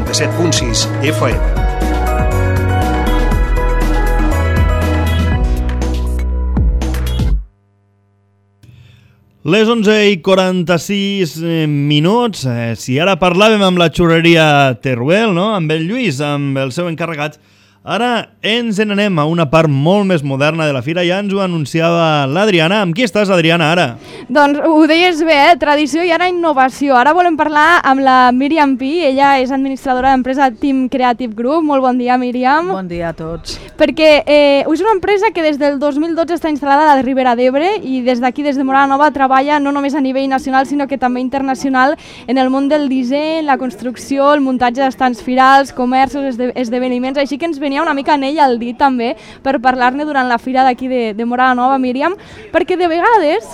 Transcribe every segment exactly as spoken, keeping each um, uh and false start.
noranta-set punt sis F M. Les onze i quaranta-sis minuts, eh, si ara parlàvem amb la xurreria Teruel, no? Amb el Lluís, amb el seu encarregat, ara ens n'anem a una part molt més moderna de la fira, ja ens ho anunciava l'Adriana. Amb qui estàs, Adriana, ara? Doncs ho deies bé, eh? Tradició i ara innovació. Ara volem parlar amb la Míriam Pi, ella és administradora d'empresa Team Creative Group. Molt bon dia, Míriam. Bon dia a tots. Perquè eh, és una empresa que des del dos mil dotze està instal·lada a la Ribera d'Ebre i des d'aquí, des de Móra la Nova, treballa no només a nivell nacional, sinó que també internacional en el món del disseny, la construcció, el muntatge d'estants firals, comerços, esde esdeveniments, així que ens venia una mica anell al dit també per parlar-ne durant la fira d'aquí de, de Móra la Nova, Míriam, perquè de vegades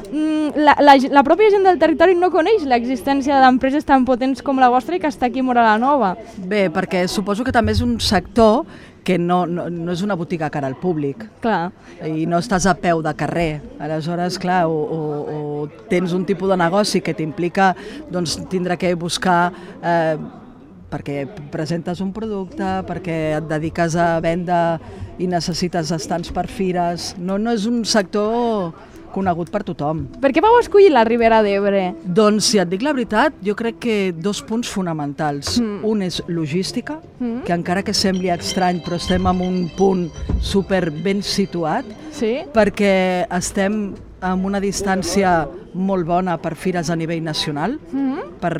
la, la, la pròpia gent del territori no coneix l'existència d'empreses tan potents com la vostra i que està aquí a Móra la Nova. Bé, perquè suposo que també és un sector que no, no, no és una botiga cara al públic. Clar. I no estàs a peu de carrer. Aleshores, clar, o, o, o tens un tipus de negoci que t'implica doncs, tindre que buscar eh, perquè presentes un producte, perquè et dediques a venda i necessites estants per fires. No, no és un sector conegut per tothom. Per què vau escollir la Ribera d'Ebre? Doncs, si et dic la veritat, jo crec que dos punts fonamentals. Mm. Un és logística, mm. que encara que sembli estrany, però estem en un punt super ben situat, sí? Perquè estem amb una distància molt bona per fires a nivell nacional, mm-hmm. per,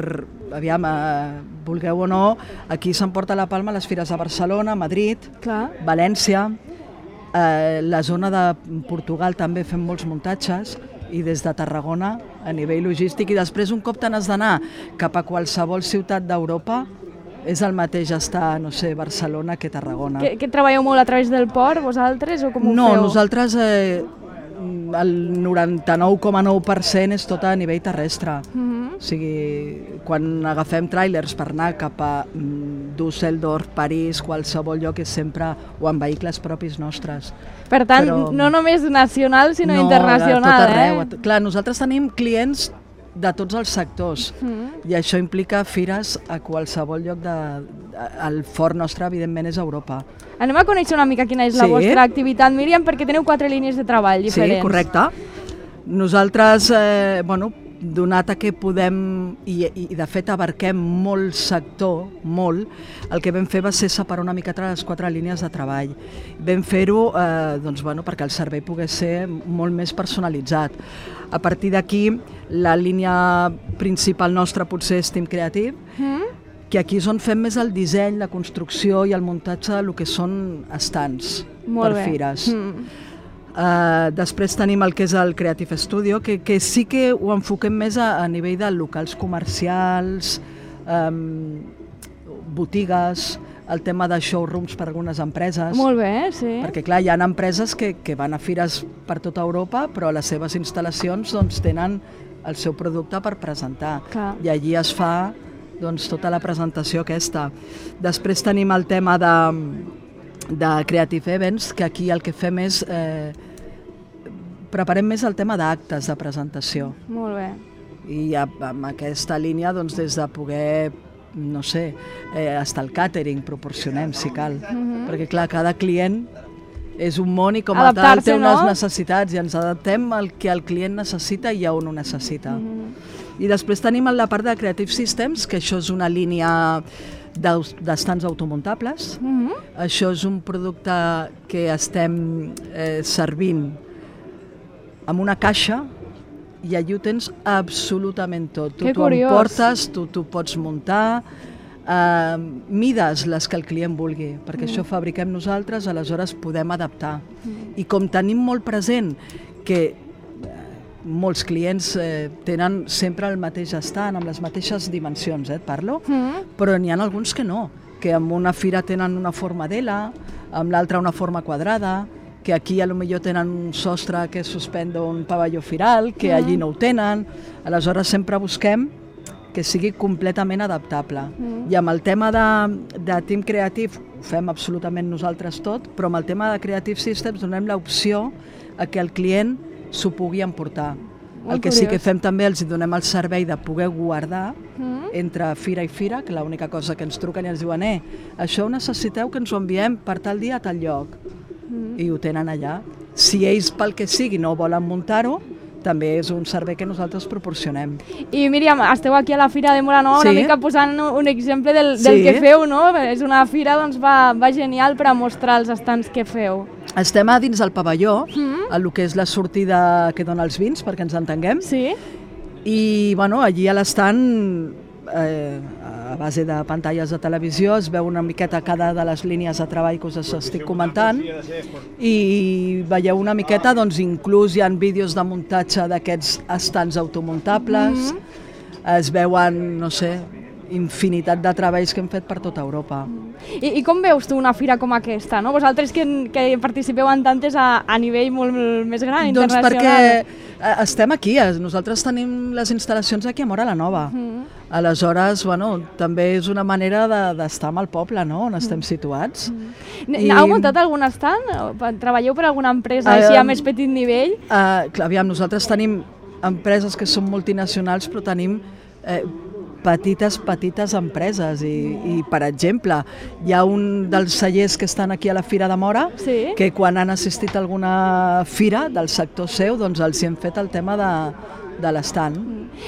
aviam, eh, vulgueu o no, aquí s'emporta la palma les fires a Barcelona, Madrid, clar. València, eh, la zona de Portugal també fem molts muntatges, i des de Tarragona a nivell logístic, i després un cop te n'has d'anar cap a qualsevol ciutat d'Europa, és el mateix estar, no sé, Barcelona que Tarragona. Que, que treballeu molt a través del port, vosaltres, o com ho no, feu? No, nosaltres... Eh, el noranta-nou coma nou per cent és tot a nivell terrestre. Mm-hmm. O sigui, quan agafem tràilers per anar cap a Düsseldorf, París, qualsevol lloc, és sempre o amb vehicles propis nostres. Per tant, Però, no només nacional, sinó no, internacional. No, tot arreu. Eh? Clar, nosaltres tenim clients de tots els sectors, mm. i això implica fires a qualsevol lloc de... El fort nostre, evidentment, és Europa. Anem a conèixer una mica quina és sí. la vostra activitat, Míriam, perquè teniu quatre línies de treball diferents. Sí, correcte. Nosaltres, eh, bueno, donat a que podem, i, i de fet abarquem molt sector, molt, el que vam fer va ser separar una miqueta les quatre línies de treball. Vam fer-ho eh, doncs, bueno, perquè el servei pogués ser molt més personalitzat. A partir d'aquí, la línia principal nostra potser és Team Creative, mm. que aquí és on fem més el disseny, la construcció i el muntatge del que són estants per bé. Fires. Mm. Uh, després tenim el que és el Creative Studio, que, que sí que ho enfoquem més a, a nivell de locals comercials, um, botigues, el tema de showrooms per algunes empreses. Molt bé, sí. Perquè clar, hi ha empreses que, que van a fires per tota Europa, però a les seves instal·lacions doncs, tenen el seu producte per presentar. Clar. I allí es fa doncs, tota la presentació aquesta. Després tenim el tema de, de Creative Events, que aquí el que fem és... Eh, preparem més el tema d'actes de presentació. Molt bé. I amb aquesta línia, doncs, des de poder, no sé, eh, hasta el catering proporcionem, si cal. Mm-hmm. Perquè, clar, cada client és un món i com a tal té unes no? necessitats i ens adaptem al que el client necessita i a on ho necessita. Mm-hmm. I després tenim la part de Creative Systems, que això és una línia d'estants automuntables. Mm-hmm. Això és un producte que estem eh, servint amb una caixa i allí ho tens absolutament tot. Tu t'ho emportes, tu t'ho pots muntar, eh, mides les que el client vulgui, perquè mm. això fabriquem nosaltres, aleshores podem adaptar. Mm. I com tenim molt present que molts clients eh, tenen sempre el mateix estant, amb les mateixes dimensions, eh, et parlo, mm. però n'hi ha alguns que no, que amb una fira tenen una forma d'ela, amb l'altra una forma quadrada, que aquí a lo millor tenen un sostre que suspèn d'un pavelló firal, que mm. allí no ho tenen. Aleshores sempre busquem que sigui completament adaptable. Mm. I amb el tema de, de Team Creative ho fem absolutament nosaltres tot, però amb el tema de Creative Systems donem l'opció a que el client s'ho pugui emportar. El que sí que fem també, els donem el servei de poder guardar mm. entre fira i fira, que l'única cosa que ens truquen i ens diuen eh, això ho necessiteu que ens ho enviem per tal dia a tal lloc. Mm. I ho tenen allà. Si ells pel que sigui no volen muntar-ho, també és un servei que nosaltres proporcionem. I Míriam, esteu aquí a la Fira de Móra Nova, sí. una mica posant un exemple del, del sí. que feu, no? És una fira, doncs va, va genial per a mostrar els estants que feu. Estem a dins del pavelló, mm. a lo que és la sortida que dona els vins, perquè ens entenguem. Sí. I, bueno, allí a l'estant, eh, a base de pantalles de televisió, es veu una miqueta cada de les línies de treball que us estic comentant i veieu una miqueta, doncs inclús hi ha vídeos de muntatge d'aquests estants automuntables, mm-hmm. es veuen, no sé, infinitat de treballs que hem fet per tota Europa. I, i com veus tu una fira com aquesta, no? Vosaltres que, que participeu en tantes a, a nivell molt més gran, doncs internacional? Doncs perquè estem aquí, nosaltres tenim les instal·lacions aquí a Móra la Nova. Mm. Aleshores, bueno, també és una manera d'estar de, amb el poble, no?, on estem situats. Mm. I... Heu muntat algun estant? Treballeu per alguna empresa uh, així a més petit nivell? Uh, clar, aviam, nosaltres tenim empreses que són multinacionals, però tenim eh, petites, petites empreses i, i, per exemple, hi ha un dels cellers que estan aquí a la Fira de Móra sí. que quan han assistit a alguna fira del sector seu, doncs els hi hem fet el tema de, de l'estand.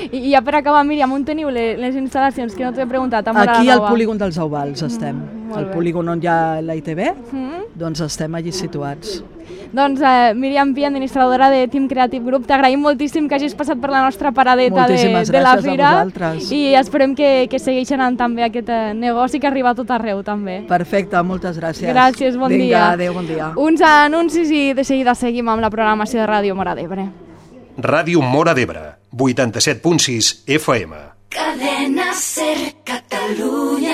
I, I ja per acabar, Míriam, on teniu les, les instal·lacions que no t'he preguntat? A aquí al polígon dels Auvals estem, mm, el polígon on hi ha la I T V, mm. doncs estem allí situats. Doncs eh, Míriam Pi, administradora de Team Creative Group, t'agraïm moltíssim que hagis passat per la nostra paradeta de, de la fira i esperem que, que segueixi anant també aquest eh, negoci que arriba a tot arreu també. Perfecte, moltes gràcies. Gràcies, bon Vinga, dia. Adéu, bon dia. Uns anuncis i de seguida seguim amb la programació de Ràdio Móra d'Ebre. Ràdio Móra d'Ebre, vuitanta-set punt sis F M. Cadena Ser Catalunya.